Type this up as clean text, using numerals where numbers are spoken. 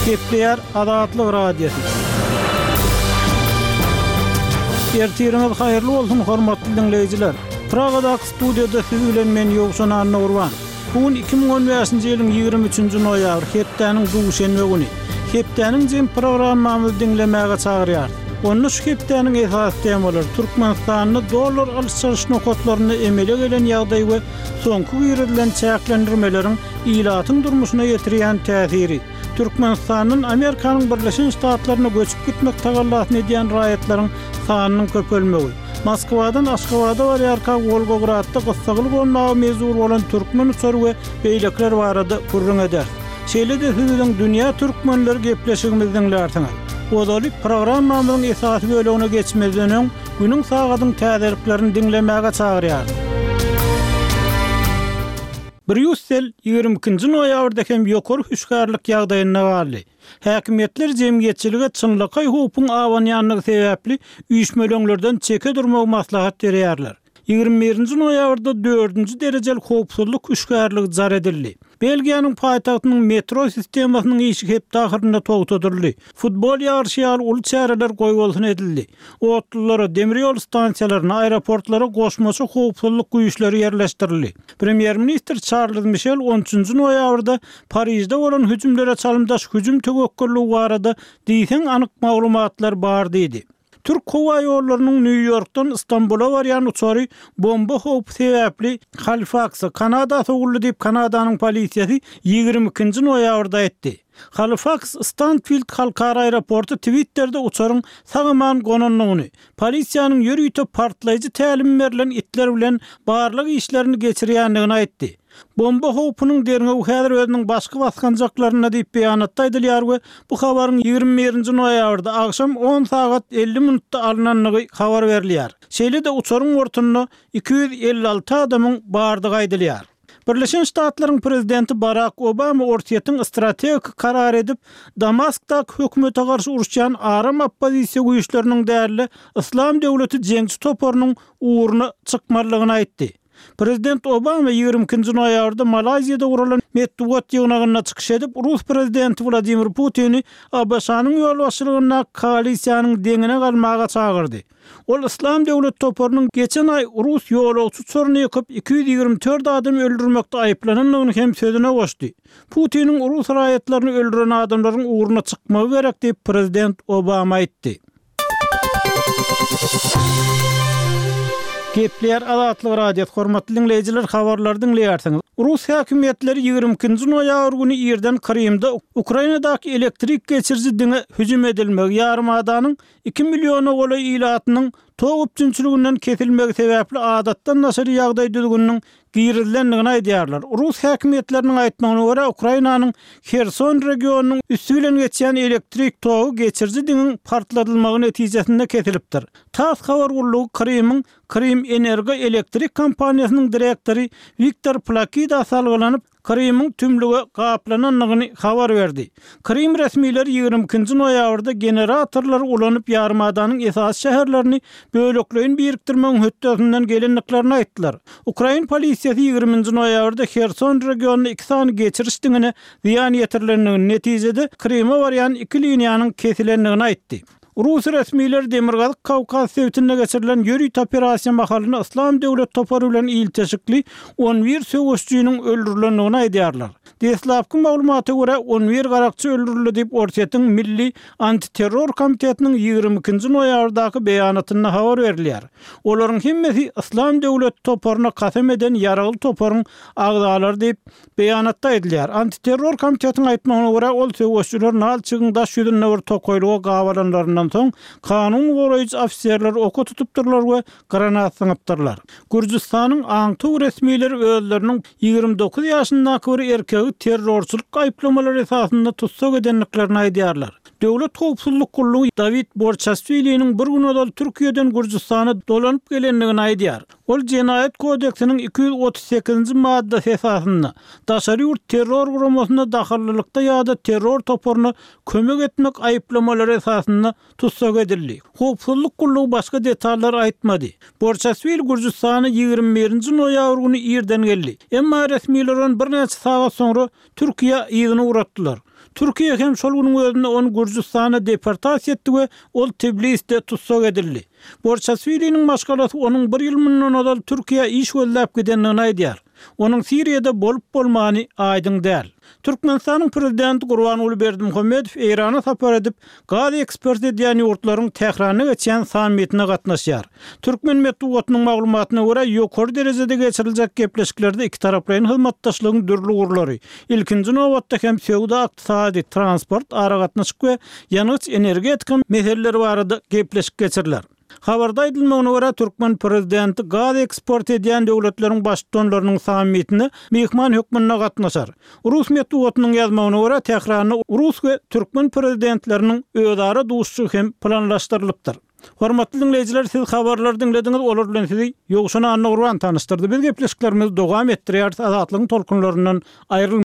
Gepleýär Azatlyk Radiosy. Ertiriňiz haýyrly bolsun, hormatly diňleýjiler! Pragadaky studiýada siz bilen men Ýowşan Annagurban. Bu gün 2015-nji ýylyň 23-nji noýabry, hepdäniň duşenbe güni. Hepdäniň jem programmamyzy diňlemäge çagyrýarys. Onda şu hepdäniň esasy temalary, Türkmenistanda dollar alyş-çalyş nokatlarynda emele gelen ýagdaý we soňky girizilen çäklendirmeleriň ilatyň durmuşyna ýetirýän täsiri, Türkmenistandan Amerikanyň Birleşen Ştatlaryna göçüp gitmek tagallasyny edýän raýatlaryň sanynyň köpelmegi, Moskwadan Aşgabada barýarka Wolgogradda gyssagly gonmaga mejbur bolan türkmen uçary we beýlekiler barada gürrüň ederis. Şeýle-de siz biziň Dünýä türkmenleri gepleşigimizi diňlärsiňiz. Ozaly programmamyzyň esasy bölegine geçmezden öň, günüň sagadyň täzeliklerini diňlemäge çagyrýarys. Brýussel 22-nji noýabrda hem ýokary hüşgärlik ýagdaýynda galdy. Häkimiýetler jemgyýetçilige çynlakaý howpuň abanýandygy sebäpli üýşmeleňlerden çeke durmagy maslahat berýärler. 21-nji noýabrda dördünji derejeli howpsuzlyk hüşgärligi jar edildi. Belgiýanyň paýtagtynyň metro sistemasynyň işi hepde ahyrynda togtadyldy. Futbol ýaryşy ýaly uly çäreler goýbolsun edildi. Otlulara, demir ýol stansiýalaryna, aeroportlara goşmaça howpsuzlyk güýçleri ýerleşdirildi. Premýer-ministr Çarlz Mişel on üçünji noýabrda Parižde bolan hüjümlere çalymdaş hüjüm töwekgelligi barada diýseň anyk maglumatlar bar diýdi. Türk howa ýollarynyň Nýu-Ýorkdan Stambula barýan uçary bomba howpy sebäpli Halifaksa, Kanada sowuldy diýip, Kanadanyň polisiýasy 22-nji noýabrda aýtdy. Halifaks Stanfild halkara aeroporty Twitterde uçaryň sag-aman gonandygyny, polisiýanyň ýörite partlaýjy tälim berlen itler bilen barlag işlerini geçirýändigini aýtdy. Bomba howpunyň derňewi häzir özüniň başky basgançaklarynda diýip beýanatda aýdylýar we bu habaryň 21-nji noýabrda agşam on sagat 50 minutda alnandygy habar berilýär. Şeýle-de uçaryň bortunda 256 adamyň bardygy aýdylýar. Birleşen Ştatlaryň prezidenti Barak Obama Orsýetiň strategik karar edip, Damaskdaky hökümete garşy uruşýan aram oppozisiýa güýçleriniň däl-de, Yslam döwleti jeňçi toparynyň ugruna çykmalydygyny aýtdy. Prezident Obama 22-nji noýabrda Malaýziýada guralan metbugat ýygnagynda çykyş edip, rus prezidenti Wladimir Putini ABŞ-nyň ýolbaşçylygyndaky koalisiýanyň deňine galmaga çagyrdy. Ol Yslam döwleti toparynyň geçen aý rus ýolagçy uçaryny ýykyp, 224 adamy öldürmekde aýyplanandygyny hem sözüne goşdy. Putiniň rus raýatlaryny öldüren adamlaryň ugruna çykmagy gerek diýip, prezident Obama aýtdy. Gepleýär Azatlyk Radiosy, hormatly diňleýjiler, habarlary diňleýärsiňiz. Rus häkimiýetleri 22-nji noýabr güni irden Krymda Ukrainadaky elektrik geçiriji diňe hüjüm edilmegi, ýarymadanyň iki milliona golaý ilatynyň tok üpjünçiliginden kesilmegi sebäpli adatdan daşary ýagdaý düzgüniniň girizilendigini aýdýarlar. Rus häkimiýetleriniň aýtmagyna görä, Ukrainanyň Herson regionynyň üsti bilen geçýän elektrik togy geçiriji diňiň partladylmagy netijesinde kesilipdir. Tass habar gullugy Krymyň Krym-Energo elektrik kompaniýasynyň direktory Wiktor Plakida salgylanyp, Krymyň tümlüge gaplanandygyny habar berdi. Krym resmileri 22-nji noýabrda generatorlary ulanyp ýarymadanyň esasy şäherlerini bölekleýin birikdirmegiň hötdesinden gelendiklerini aýtdylar. Ukrain polisiýasy 20-nji noýabrda Herson regionynda iki sany geçiriş diňine zyýan ýetirilendigini, netijede Kryma barýan iki liniýanyň kesilendigini aýtdy. Rus resmileri Demirgazyk Kawkaz sebitinde geçirilen ýörite operasiýa mahalynda Yslam döwlet topary bilen ilteşikli on bir söweşijiniň öldürilendigini aýdýarlar. Deslapky maglumata görä, on bir garakçy öldürildi diýip, Orsýetiň Milli antiterror komitetiniň 22-nji noýabrdaky beýanatynda habar berilýär. Olaryň hemmesi Yslam döwleti toparyna kasam eden ýaragly toparyň agzalary diýip, Beýanatda aýdylýar, Antiterror komitetiň aýtmagyna görä, ol söweşijiler Nalçigiň daş ýüzünde bir tokaýlyga gabalanlaryndan soň, kanun goraýjy ofiserleri oka tutupdyrlar we granat zyňypdyrlar. Gürjüstanyň aňtaw resmileri özleriniň 29 ýaşyndaky bir erkegi terrorçylyk aýyplamalary esasynda tussag edendiklerini aýdýarlar. Döwlet howpsuzlyk gullugy Dawid Borçaswiliniň bir gün ozal Türkiýeden Gürjüstana dolanyp gelendigini aýdýar. Ol Jenaýat kodeksiniň 238-nji maddasy esasynda, daşary ýurt terror guramasyna dahyllylykda ýa-da terror toparyna kömek etmek aýyplamalary esasynda tussag edildi. Howpsuzlyk gullugy başga detallary aýtmady. Borçaswil Gürjüstana 21-nji noýabr güni irden geldi. Emma resmiler ony birnäçe sagat soňra Türkiýä yzyna ugratdylar. Türkiýe hem şol günüň özünde ony Gürjüstana deportasiýa etdi we ol Tbilisde tussag edildi. Borçaswiliniň maşgalasy onuň bir ýyl mundan ozal Türkiýä iş gözläp gidendigini aýdýar. Onuň Siriýada bolup-bolmany aýdyň däl. Türkmenistanyň Prezidenti Gurbanguly Berdimuhamedow Eýrana sapar edip, gaz eksport edýän ýurtlaryň Tähranda geçýän sammitine gatnaşýar. Türkmen metbugatynyň maglumatyna görä, ýokary derejede geçiriljek gepleşiklerde ikitaraplaýyn hyzmatdaşlygyň dürli ugurlary, ilkinji nobatda hem söwda-ykdysady, transport, aragatnaşyk we ýangyç-energetika meseleleri barada gepleşik geçiriler. Habarda aýdylmagyna görä, türkmen prezidenti gaz eksport edýän döwletleriň baştutanlarynyň sammitine myhman hökmünde gatnaşar. Rus metbugatynyň ýazmagyna görä, Tähranda rus we türkmen prezidentleriniň özara duşuşygy hem planlaşdyrylypdyr. Hormatly diňleýjiler, siz habarlary diňlediňiz, olar bilen sizi Ýowşan Annagurban tanyşdyrdy. Biz gepleşiklerimizi dowam etdirýäris, Azatlygyň tolkunlaryndan aýrylmaň.